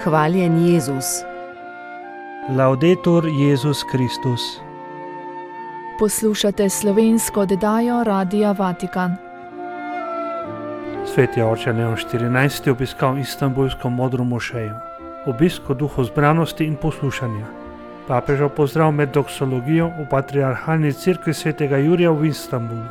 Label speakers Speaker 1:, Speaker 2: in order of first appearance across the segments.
Speaker 1: Hvaljen Jezus.
Speaker 2: Laudetur Jezus Kristus.
Speaker 3: Poslušate slovensko oddajo Radia Vatikan.
Speaker 2: Sveti oče Leon XIV. Je obiskal istanbulsko modro mošejo. Obisk v duhu zbranosti in poslušanja. Papežev pozdrav med doksologijo v patriarhalni cerkvi svetega Jurija v Istanbulu.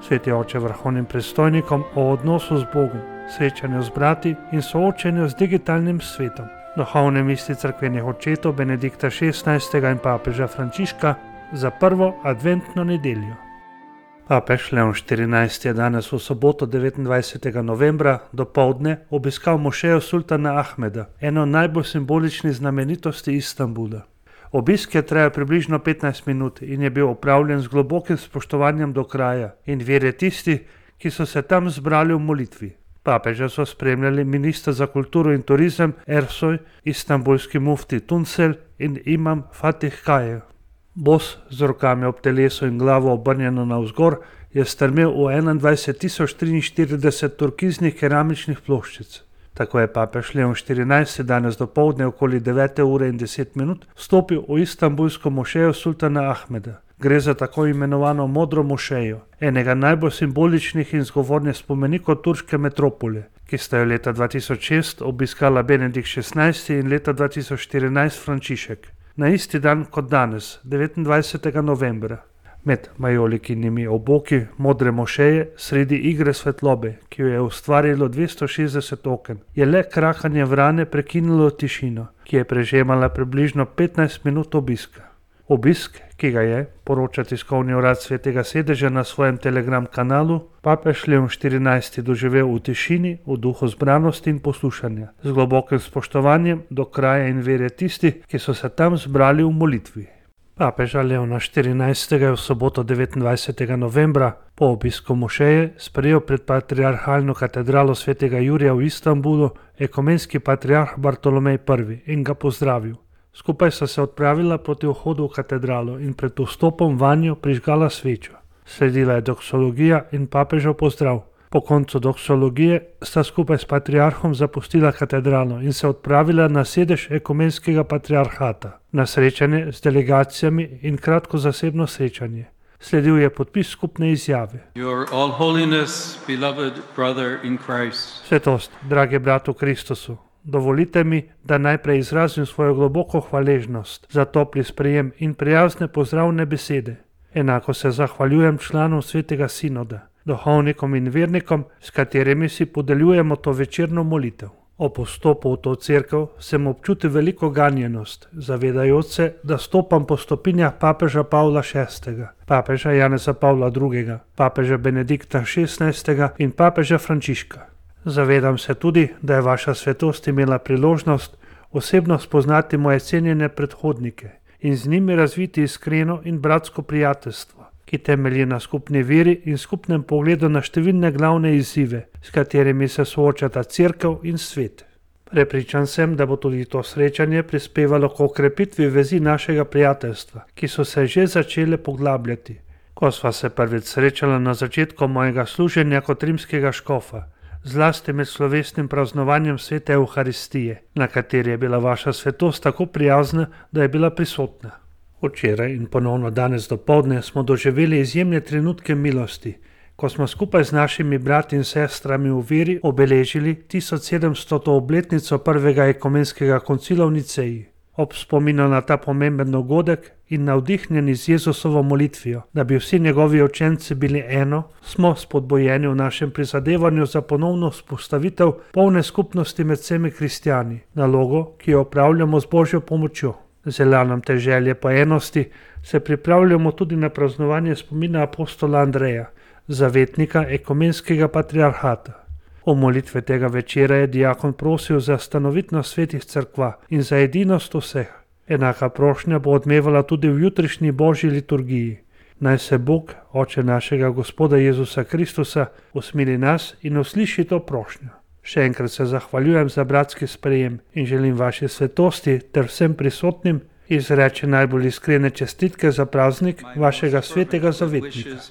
Speaker 2: Sveti oče vrhovnim predstojnikom o odnosu z Bogom, srečanju z brati in soočenju z digitalnim svetom. Duhovne misli cerkvenih očetov Benedikta XVI. In papeža Frančiška za prvo adventno nedeljo. Papež Leon XIV. Je danes v soboto 29. novembra dopoldne obiskal mošejo sultana Ahmeda, eno najbolj simboličnih znamenitosti Istanbula. Obisk je trajal približno 15 minut in je bil opravljen z globokim spoštovanjem do kraja in vere tistih, ki so se tam zbrali v molitvi. Papeža so spremljali minister za kulturo in turizem Ersoy, istanbulski mufti Tuncel in imam Fatih Kaje. Bos z rokami ob telesu in glavo obrnjeno navzgor je strmel v 21.043 turkiznih keramičnih ploščic. Tako je papež Leon XIV. Danes dopoldne okoli 9 ure in 10 minut vstopil v istanbulsko mošejo sultana Ahmeda. Gre za tako imenovano modro mošejo, enega najbolj simboličnih in zgovornih spomenikov turške metropole, ki sta jo leta 2006 obiskala Benedikt XVI. In leta 2014 Frančišek. Na isti dan kot danes, 29. novembra. Med majolikinimi oboki modre mošeje, sredi igre svetlobe, ki jo je ustvarilo 260 oken, je le krakanje vrane prekinilo tišino, ki je prežemala približno 15 minut obiska. Obisk, ki ga je, poroča tiskovni urad Svetega sedeža na svojem Telegram kanalu, papež Leon XIV. Doživel v tišini, v duhu zbranosti in poslušanja, z globokim spoštovanjem do kraja in vere tistih, ki so se tam zbrali v molitvi. Papeža Leona XIV. Je v soboto 29. novembra po obisku mošeje sprejel pred patriarhalno katedralo svetega Jurija v Istanbulu ekumenski patriarh Bartolomej I. in ga pozdravil. Skupaj sta se odpravila proti vhodu v katedralo in pred vstopom vanjo prižgala svečo. Sledila je doksologija in papežev pozdrav. Po koncu doksologije sta skupaj s patriarhom zapustila katedralo in se odpravila na sedež ekumenskega patriarhata, na srečanje z delegacijami in kratko zasebno srečanje. Sledil je podpis skupne izjave.
Speaker 4: Your all holiness, beloved brother in Christ.
Speaker 2: Svetost, dragi brat v Kristusu, dovolite mi, da najprej izrazim svojo globoko hvaležnost za topli sprejem in prijazne pozdravne besede. Enako se zahvaljujem članom Svetega sinoda, duhovnikom in vernikom, s katerimi si podeljujemo to večerno molitev. Ob vstopu v to cerkev sem občutil veliko ganjenost, zavedajoč se, da stopam po stopinjah papeža Pavla VI., papeža Janeza Pavla II., papeža Benedikta XVI. In papeža Frančiška. Zavedam se tudi, da je vaša svetost imela priložnost osebno spoznati moje cenjene predhodnike in z njimi razviti iskreno in bratsko prijateljstvo, ki temelji na skupni veri in skupnem pogledu na številne glavne izzive, s katerimi se soočata cerkev in svet. Prepričan sem, da bo tudi to srečanje prispevalo k okrepitvi vezi našega prijateljstva, ki so se že začele poglabljati. Ko sva se prvič srečala na začetku mojega služenja kot rimskega škofa, zlasti med slovesnim praznovanjem svete Evharistije, na kateri je bila vaša svetost tako prijazna, da je bila prisotna. Včeraj in ponovno danes dopoldne smo doživeli izjemne trenutke milosti, ko smo skupaj z našimi brati in sestrami v veri obeležili 1700. obletnico prvega ekumenskega koncila v Niceji. Ob spominu na ta pomemben dogodek in navdihnjeni z Jezusovo molitvijo, da bi vsi njegovi učenci bili eno, smo spodbojeni v našem prizadevanju za ponovno vzpostavitev polne skupnosti med vsemi kristjani, nalogo, ki jo opravljamo z Božjo pomočjo. Z elanom te želje po enosti se pripravljamo tudi na praznovanje spomina apostola Andreja, zavetnika ekumenskega patriarhata. V molitve tega večera je diakon prosil za stanovitnost svetih cerkva in za edinost vseh. Enaka prošnja bo odmevala tudi v jutrišnji božji liturgiji. Naj se Bog, Oče našega Gospoda Jezusa Kristusa, usmili nas in usliši to prošnjo. Še enkrat se zahvaljujem za bratski sprejem in želim vaši svetosti ter vsem prisotnim izreči najbolj iskrene čestitke za praznik vašega svetega zavetnika.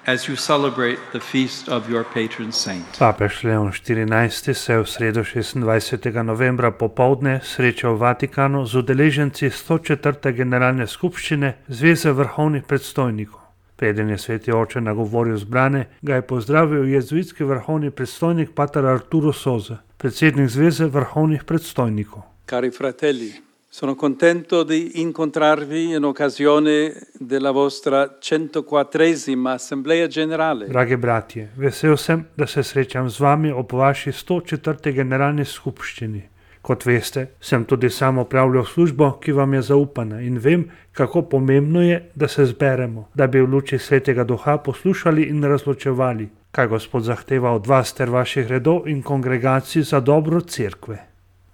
Speaker 4: as you celebrate the feast of your patron saint.
Speaker 2: Papež Leon XIV se je v sredo 26. novembra popoldne srečal v Vatikanu z udeleženci 104. generalne skupščine Zveze vrhovnih predstojnikov. Preden je sveti oče nagovoril zbrane, ga je pozdravil jezuitski vrhovni predstojnik pater Arturo Sosa, predsednik Zveze vrhovnih predstojnikov.
Speaker 1: Cari fratelli, sono contento di incontrarvi in occasione della vostra 104esima Assemblea Generale.
Speaker 2: Dragi bratje, vesel sem, da se srečam z vami ob vaši 104. generalni skupščini. Kot veste, sem tudi sam opravljal službo, ki vam je zaupana in vem, kako pomembno je, da se zberemo, da bi v luči Svetega Duha poslušali in razločevali, kaj Gospod zahteva od vas ter vaših redov in kongregacij za dobro cerkve.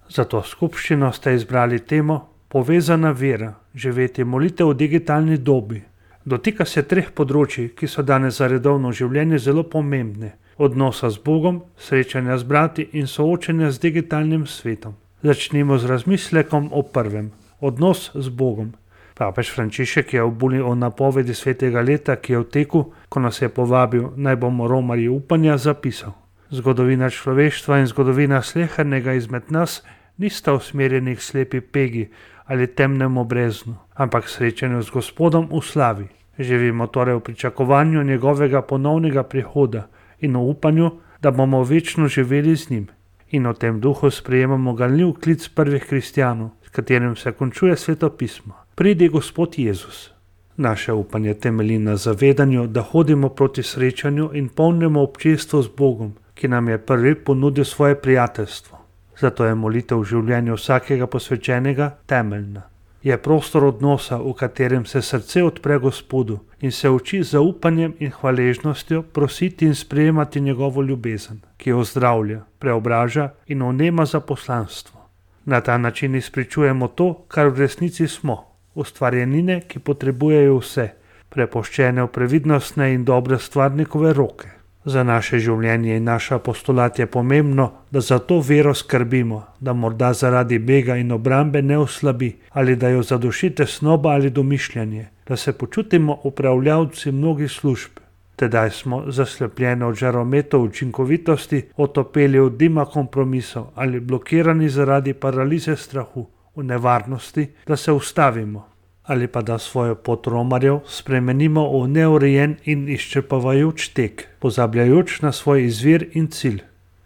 Speaker 2: Za to skupščino ste izbrali temo Povezana vera, živeti molitev v digitalni dobi. Dotika se 3 področji, ki so danes za redovno življenje zelo pomembne. Odnosa z Bogom, srečanja z brati in soočanja z digitalnim svetom. Začnimo z razmislekom o prvem. Odnos z Bogom. Papež Frančišek je v buli o napovedi svetega leta, ki je v teku, ko nas je povabil, naj bomo romarji upanja, zapisal. Zgodovina človeštva in zgodovina slehernega izmed nas nista usmerjeni k slepi pegi ali temnemu breznu, ampak srečanju z Gospodom v slavi. Živimo torej v pričakovanju njegovega ponovnega prihoda in v upanju, da bomo večno živeli z njim. In v tem duhu sprejemamo ganljiv klic prvih kristjanov, s katerim se končuje Sveto pismo. Pridi Gospod Jezus. Naše upanje temelji na zavedanju, da hodimo proti srečanju in polnemu občestvu z Bogom, ki nam je prvi ponudil svoje prijateljstvo. Zato je molitev v življenju vsakega posvečenega temeljna. Je prostor odnosa, v katerem se srce odpre Gospodu in se uči z zaupanjem in hvaležnostjo prositi in sprejemati njegovo ljubezen, ki jo ozdravlja, preobraža in vnema za poslanstvo. Na ta način izpričujemo to, kar v resnici smo, ustvarjenine, ki potrebujejo vse, prepuščene v previdnostne in dobre stvarnikove roke. Za naše življenje in naš apostolat je pomembno, da za to vero skrbimo, da morda zaradi bega in obrambe ne oslabi ali da jo zaduši tesnoba ali domišljanje, da se počutimo upravljavci mnogih služb. Tedaj smo, zaslepljeni od žarometov učinkovitosti, otopeli od dima kompromisov ali blokirani zaradi paralize strahu, v nevarnosti, da se ustavimo. Ali pa da svojo pot romarjev spremenimo v neurejen in izčrpavajoč tek, pozabljajoč na svoj izvir in cilj.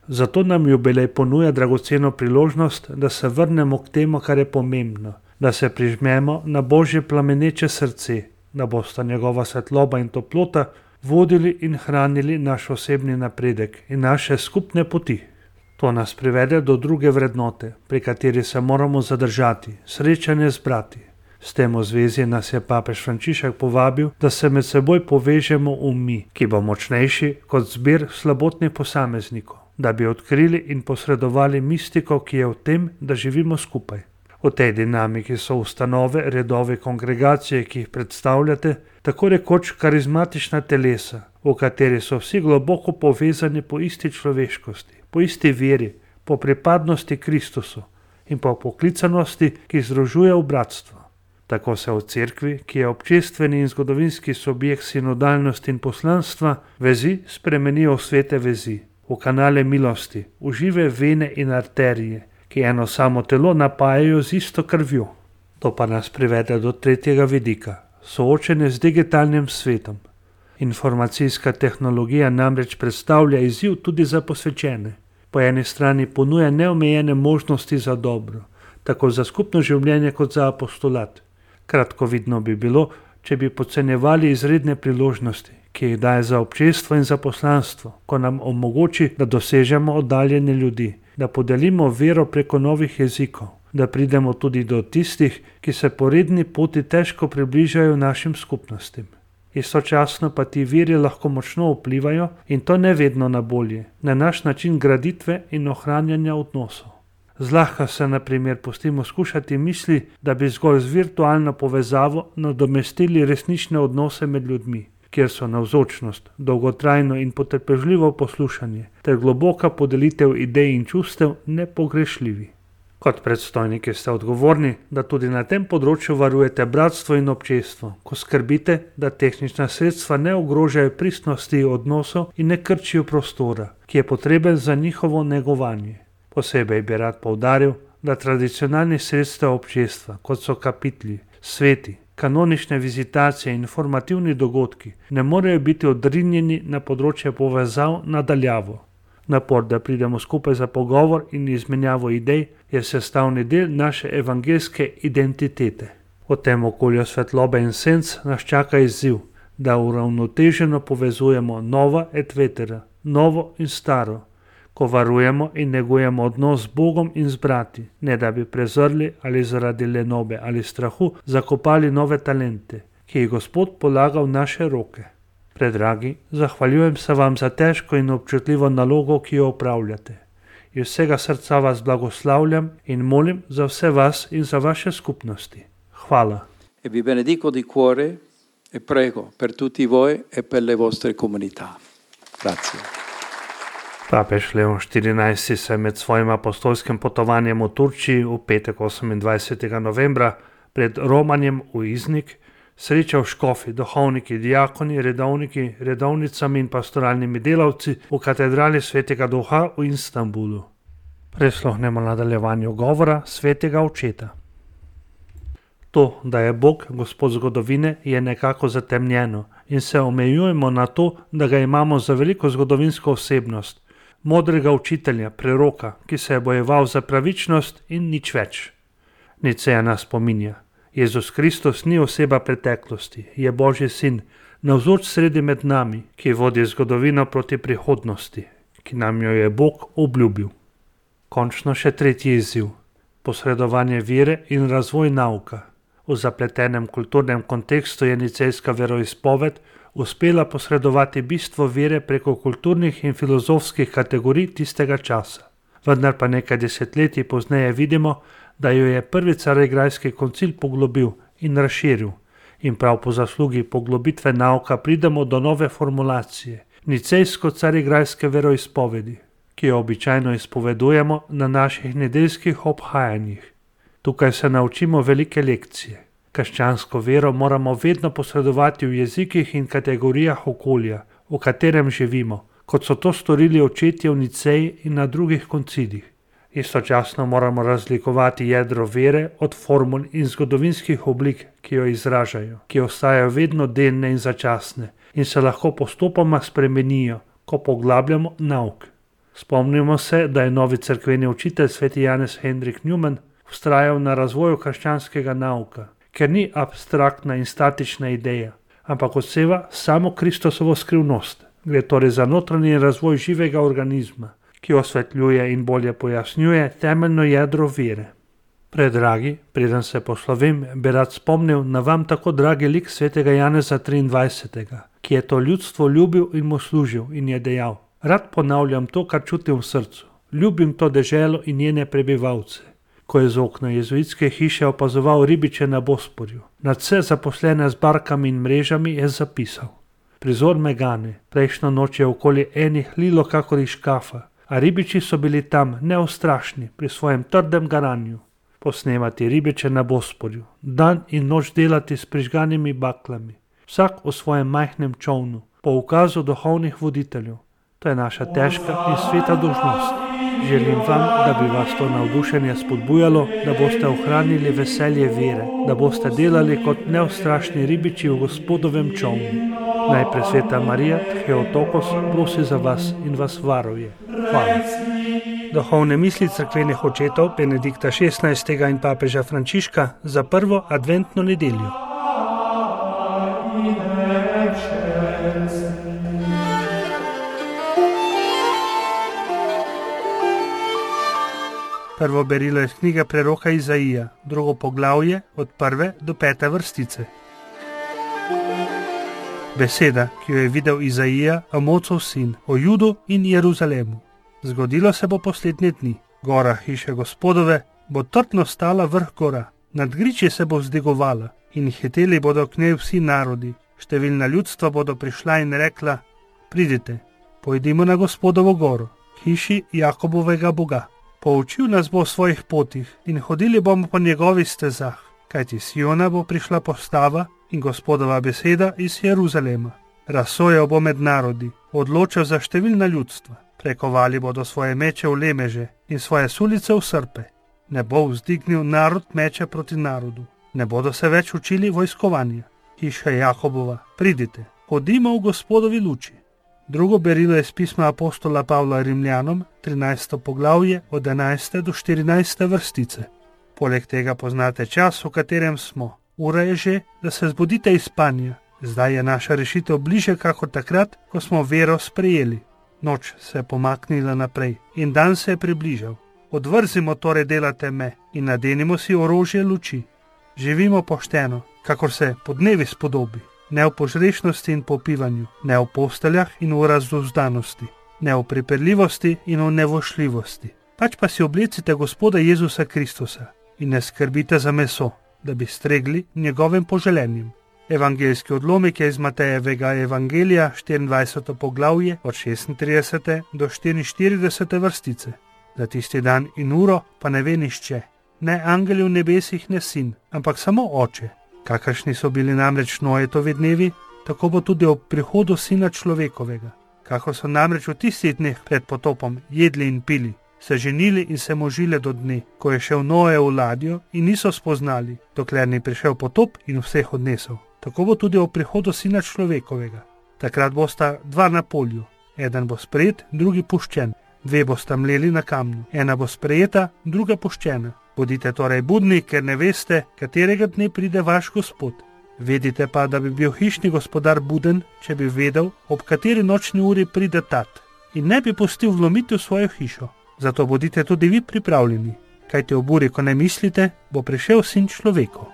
Speaker 2: Zato nam jubilej ponuja dragoceno priložnost, da se vrnemo k temu, kar je pomembno, da se prižmemo na Božje plameneče srce, da bosta njegova svetloba in toplota vodili in hranili naš osebni napredek in naše skupne poti. To nas privede do druge vrednote, pri kateri se moramo zadržati, srečanje z brati. S tem v zvezi nas je papež Frančišek povabil, da se med seboj povežemo v mi, ki bo močnejši kot zbir slabotnih posameznikov, da bi odkrili in posredovali mistiko, ki je v tem, da živimo skupaj. V tej dinamiki so ustanove, redove, kongregacije, ki jih predstavljate, tako rekoč karizmatična telesa, v kateri so vsi globoko povezani po isti človeškosti, po isti veri, po pripadnosti Kristusu in po poklicanosti, ki združuje v bratstvo. Tako se v cerkvi, ki je občestveni in zgodovinski subjekt sinodalnosti in poslanstva, vezi spremenijo v svete vezi, v kanale milosti, v žive vene in arterije, ki eno samo telo napajajo z isto krvjo. To pa nas privede do tretjega vidika, soočenje z digitalnim svetom. Informacijska tehnologija namreč predstavlja izziv tudi za posvečene. Po eni strani ponuja neomejene možnosti za dobro, tako za skupno življenje kot za apostolat. Kratkovidno bi bilo, če bi podcenjevali izredne priložnosti, ki jih daje za občestvo in za poslanstvo, ko nam omogoči, da dosežemo oddaljene ljudi, da podelimo vero preko novih jezikov, da pridemo tudi do tistih, ki se po redni poti težko približajo našim skupnostim. Istočasno pa ti viri lahko močno vplivajo in to ne vedno na bolje, na naš način graditve in ohranjanja odnosov. Zlahka se na primer pustimo skušati misli, da bi zgolj z virtualno povezavo nadomestili resnične odnose med ljudmi, kjer so navzočnost, dolgotrajno in potrpežljivo poslušanje ter globoka podelitev idej in čustev nepogrešljivi. Kot predstojniki ste odgovorni, da tudi na tem področju varujete bratstvo in občestvo, ko skrbite, da tehnična sredstva ne ogrožajo pristnosti odnosov in ne krčijo prostora, ki je potreben za njihovo negovanje. Posebej bi rad poudaril, da tradicionalnih sredstev občestva, kot so kapitli, sveti, kanonične vizitacije in informativni dogodki, ne morejo biti odrinjeni na področje povezav nadaljavo. Napor, da pridemo skupaj za pogovor in izmenjavo idej, je sestavni del naše evangeljske identitete. V tem okolju svetlobe in senc nas čaka izziv, da uravnoteženo povezujemo nova et vetera, novo in staro, ko varujemo in negujemo odnos z Bogom in z brati, ne da bi prezrli ali zaradi lenobe ali strahu zakopali nove talente, ki jih Gospod polaga v naše roke. Predragi, zahvaljujem se vam za težko in občutljivo nalogo, ki jo opravljate. Iz vsega srca vas blagoslavljam in molim za vse vas in za vaše skupnosti. Hvala.
Speaker 1: E vi benedico di cuore e prego per tutti voi e per le vostre comunità. Grazie.
Speaker 2: Papež Leon XIV se med svojim apostolskim potovanjem v Turčiji v petek 28. novembra pred romanjem v Iznik srečal škofi, duhovniki, diakoni, redovniki, redovnicami in pastoralnimi delavci v katedrali Svetega Duha v Istanbulu. Prisluhnemo nadaljevanju govora Svetega Očeta. To, da je Bog Gospod zgodovine, je nekako zatemnjeno in se omejujemo na to, da ga imamo za veliko zgodovinsko osebnost, modrega učitelja, preroka, ki se je bojeval za pravičnost in nič več. Niceja nas spominja. Jezus Kristus ni oseba preteklosti, je Božji sin, navzoč sredi med nami, ki vodi zgodovino proti prihodnosti, ki nam jo je Bog obljubil. Končno še tretji izziv. Posredovanje vere in razvoj nauka. V zapletenem kulturnem kontekstu je nicejska veroizpoved uspela posredovati bistvo vere preko kulturnih in filozofskih kategorij tistega časa. Vendar pa nekaj desetletij pozneje vidimo, da jo je prvi Carigrajski koncil poglobil in razširil in prav po zaslugi poglobitve nauka pridemo do nove formulacije, nicejsko-carigrajske veroizpovedi, ki jo običajno izpovedujemo na naših nedeljskih obhajanjih. Tukaj se naučimo velike lekcije. Krščansko vero moramo vedno posredovati v jezikih in kategorijah okolja, v katerem živimo, kot so to storili očetje v Niceji in na drugih koncilih. Istočasno moramo razlikovati jedro vere od formul in zgodovinskih oblik, ki jo izražajo, ki ostajajo vedno delne in začasne in se lahko postopoma spremenijo, ko poglabljamo nauk. Spomnimo se, da je novi cerkveni učitelj sveti Janez Henrik Newman vztrajal na razvoju krščanskega nauka, ker ni abstraktna in statična ideja, ampak odseva samo Kristusovo skrivnost. Gre torej za notranji razvoj živega organizma, ki osvetljuje in bolje pojasnjuje temeljno jedro vere. Predragi, preden se poslovim, bi rad spomnil na vam tako dragi lik svetega Janeza 23., ki je to ljudstvo ljubil in mu služil in je dejal: Rad ponavljam to, kar čutim v srcu. Ljubim to deželo in njene prebivalce. Ko je z okna jezuitske hiše opazoval ribiče na Bosporju, nad vse zaposlene z barkami in mrežami, je zapisal: Prizor me gane, prejšnjo noč je okoli enih lilo kakor iz škafa, a ribiči so bili tam neustrašni pri svojem trdem garanju. Posnemati ribiče na Bosporju, dan in noč delati s prižganimi baklami, vsak v svojem majhnem čovnu, po ukazu duhovnih voditeljev. To je naša težka in sveta dolžnost. Želim vam, da bi vas to navdušenje spodbujalo, da boste ohranili veselje vere, da boste delali kot neustrašni ribiči v Gospodovem čovnu. Naj presveta Marija Theotokos prosi za vas in vas varuje. Hvala. Duhovne misli cerkvenih očetov Benedikta XVI. In papeža Frančiška za prvo adventno nedeljo. Prvo berilo iz knjige preroka Izaija, drugo poglavje od 1. do 5. vrstice. Beseda, ki jo je videl Izaija, Amocov sin, o Judu in Jeruzalemu. Zgodilo se bo poslednje dni. Gora hiše Gospodove bo trdno stala vrh gora, nad griči se bo vzdigovala in hiteli bodo k njej vsi narodi. Številna ljudstva bodo prišla in rekla: Pridite, pojdimo na Gospodovo goro, k hiši Jakobovega Boga. Poučil nas bo o svojih potih in hodili bomo po njegovih stezah, kajti s Siona bo prišla postava in Gospodova beseda iz Jeruzalema. Razsojal bo med narodi, odločal za številna ljudstva. Prekovali bodo svoje meče v lemeže in svoje sulice v srpe. Ne bo vzdignil narod meče proti narodu. Ne bodo se več učili vojskovanja. Hiša Jakobova, pridite, hodimo v Gospodovi luči. Drugo berilo je z pisma apostola Pavla Rimljanom, 13. poglavje od 11. do 14. vrstice. Poleg tega poznate čas, v katerem smo. Ura je že, da se zbudite iz spanja. Zdaj je naša rešitev bliže kakor takrat, ko smo vero sprejeli. Noč se je pomaknila naprej in dan se je približal. Odvrzimo torej dela teme in nadenimo si orožje luči. Živimo pošteno, kakor se podnevi spodobi, ne v požrešnosti in popivanju, ne v posteljah in v razduzdanosti, ne v pripeljivosti in v nevošljivosti. Pač pa si oblecite Gospoda Jezusa Kristusa in ne skrbite za meso, da bi stregli njegovim poželenjem. Evangeljski odlomek je iz Matejevega evangelija, 24. poglavje, od 36. do 44. vrstice. Za tisti dan in uro pa ne ve nihče, ne angeli v nebesih, ne sin, ampak samo Oče. Kakršni so bili namreč Noetovi dnevi, tako bo tudi ob prihodu Sina človekovega. Kakor so namreč v tistih dneh pred potopom jedli in pili, se ženili in se možile do dne, ko je šel Noe v ladjo in niso spoznali, dokler ni prišel potop in vseh odnesel. Tako bo tudi ob prihodu Sina človekovega. Takrat bosta dva na polju, eden bo sprejet, drugi puščen. Dve bosta mleli na kamnu, ena bo sprejeta, druga puščena. Bodite torej budni, ker ne veste, katerega dne pride vaš Gospod. Vedite pa, da bi bil hišni gospodar buden, če bi vedel, ob kateri nočni uri pride tat, in ne bi pustil vlomiti v svojo hišo. Zato bodite tudi vi pripravljeni, kajti ob uri, ko ne mislite, bo prišel Sin človekov.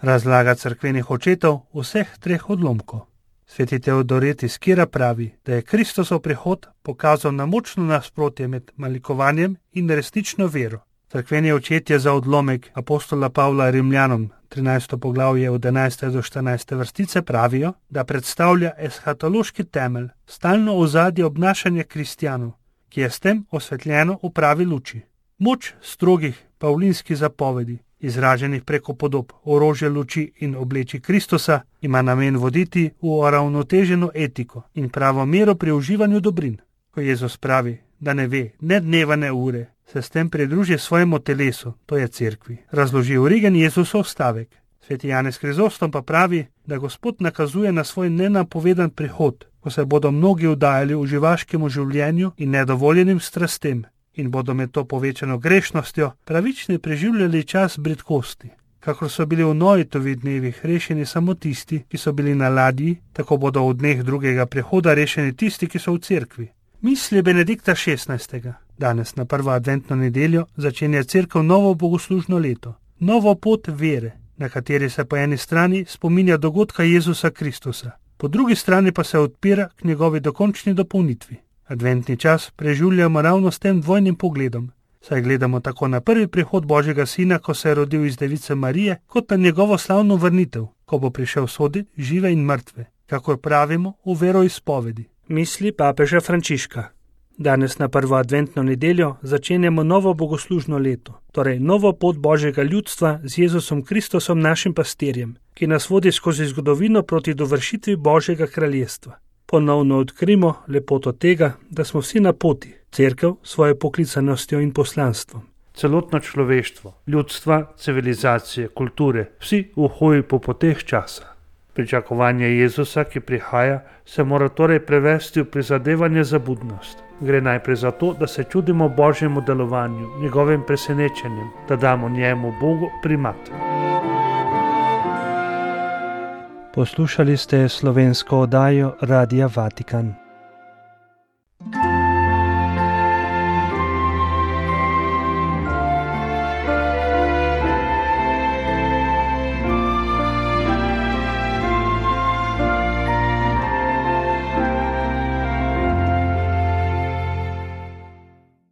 Speaker 2: Razlaga cerkvenih očetov vseh treh odlomkov. Sveti Teodoret iz Kira pravi, da je Kristusov prihod pokazal na močno nasprotje med malikovanjem in resnično vero. Cerkveni očetje za odlomek apostola Pavla Rimljanom, 13. poglavje od 11. do 14. vrstice pravijo, da predstavlja eshatološki temelj, stalno ozadje obnašanja kristjanov, ki je s tem osvetljeno v pravi luči. Moč strogih pavlinskih zapovedi, izraženih preko podob orožja luči in obleči Kristusa, ima namen voditi v uravnoteženo etiko in pravo mero pri uživanju dobrin. Ko Jezus pravi, da ne ve ne dneva ne ure, se s tem pridruži svojemu telesu, to je cerkvi. Razloži Origen Jezusov stavek. Sveti Janez Krizostom pa pravi, da Gospod nakazuje na svoj nenapovedan prihod, ko se bodo mnogi vdajali v živaškemu življenju in nedovoljenim strastem, in bodo med to povečano grešnostjo pravični preživljali čas bridkosti. Kakor so bili v Noetovih dnevih rešeni samo tisti, ki so bili na ladji, tako bodo v dneh drugega prihoda rešeni tisti, ki so v cerkvi. Misli Benedikta XVI. Danes na prvo adventno nedeljo začenja cerkev novo bogoslužno leto, novo pot vere, na kateri se po eni strani spominja dogodka Jezusa Kristusa, po drugi strani pa se odpira k njegovi dokončni dopolnitvi. Adventni čas preživljamo ravno s tem dvojnim pogledom, saj gledamo tako na prvi prihod Božjega Sina, ko se je rodil iz device Marije, kot na njegovo slavno vrnitev, ko bo prišel soditi žive in mrtve, kakor pravimo v veroizpovedi. Misli papeža Frančiška. Danes na prvo adventno nedeljo začenjamo novo bogoslužno leto, torej novo pot Božjega ljudstva z Jezusom Kristusom našim pastirjem, ki nas vodi skozi zgodovino proti dovršitvi Božjega kraljestva. Ponovno odkrimo lepoto tega, da smo vsi na poti, cerkev svojo poklicanostjo in poslanstvom. Celotno človeštvo, ljudstva, civilizacije, kulture, vsi v hoji po poteh časa. Pričakovanje Jezusa, ki prihaja, se mora torej prevesti v prizadevanje za budnost. Gre najprej za to, da se čudimo Božjemu delovanju, njegovim presenečenjem, da damo njemu Bogu primat.
Speaker 5: Poslušali ste slovensko oddajo Radia Vatikan.